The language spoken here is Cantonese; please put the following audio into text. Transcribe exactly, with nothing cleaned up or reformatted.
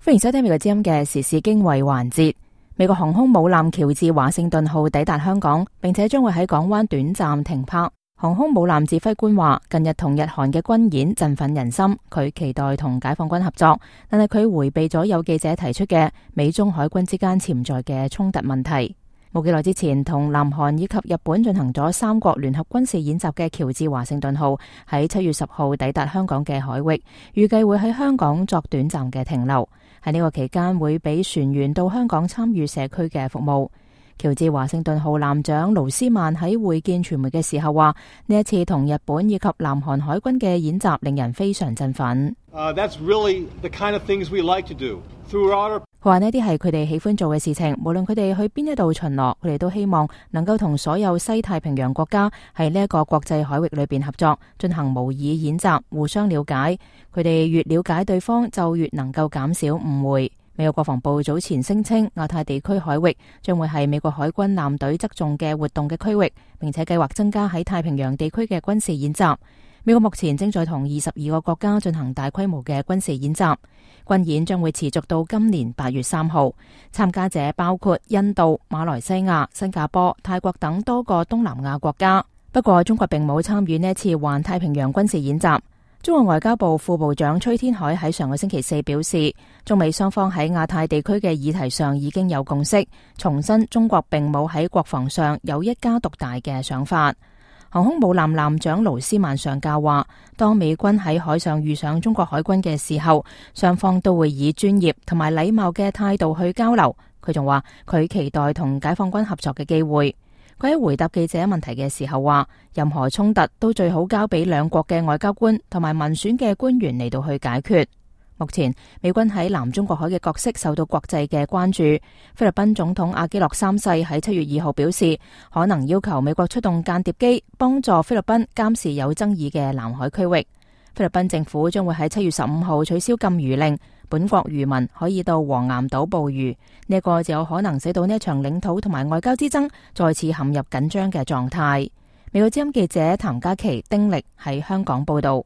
歡迎收聽美國之音嘅時事經緯環節。美國航空母艦喬治華盛頓號抵達香港，並且將會喺港灣短暫停泊。航空母艦指揮官話，近日同日韓嘅軍演振奮人心，佢期待同解放軍合作，但係佢回避咗有記者提出嘅美中海軍之間潛在嘅衝突問題。冇幾耐之前，同南韓以及日本進行咗三國聯合軍事演習嘅喬治華盛頓號喺七月十號抵達香港嘅海域，預計會喺香港作短暫嘅停留。喺呢個期間會俾船員到香港參與社區嘅服務。喬治華盛頓號艦長盧斯曼喺會見傳媒嘅時候話，呢一次同日本以及南韓海軍嘅演習令人非常振奮。Uh, that's really the kind of things we like to do. Throughout our 佢話呢啲係佢哋喜歡做嘅事情，無論佢哋去邊一度巡邏，佢哋都希望能夠同所有西太平洋國家喺呢一個國際海域裏邊合作，進行模擬演習，互相了解。佢哋越了解對方，就越能夠減少誤會。美國國防部早前聲稱，亞太地區海域將會係美國海軍艦隊側重嘅活動嘅區域，並且計劃增加喺太平洋地區嘅軍事演習。美國目前正在同二十二個國家進行大規模嘅軍事演習，軍演將會持續到今年八月三號。參加者包括印度、馬來西亞、新加坡、泰國等多個東南亞國家。不過，中國並冇參與呢一次環太平洋軍事演習。中國外交部副部長崔天凱喺上個星期四表示，中美雙方喺亞太地區嘅議題上已經有共識，重申中國並冇喺國防上有一家獨大嘅想法。航空母艦艦長盧斯曼上校話，當美軍喺海上遇上中國海軍嘅時候，雙方都會以專業同埋禮貌嘅態度去交流。佢仲話，佢期待同解放軍合作嘅機會。佢喺回答記者問題嘅時候話，任何衝突都最好交俾兩國嘅外交官同埋民選嘅官員嚟到去解決。目前美軍喺南中國海嘅角色受到國際嘅關注。菲律賓總統阿基諾三世喺七月二號表示，可能要求美國出動間諜機幫助菲律賓監視有爭議嘅南海區域。菲律賓政府將會喺七月十五號取消禁漁令，本國漁民可以到黃岩島捕魚。呢一個就有可能使到呢一場領土同埋外交之爭再次陷入緊張嘅狀態。美國之音記者譚嘉琪、丁力喺香港報道。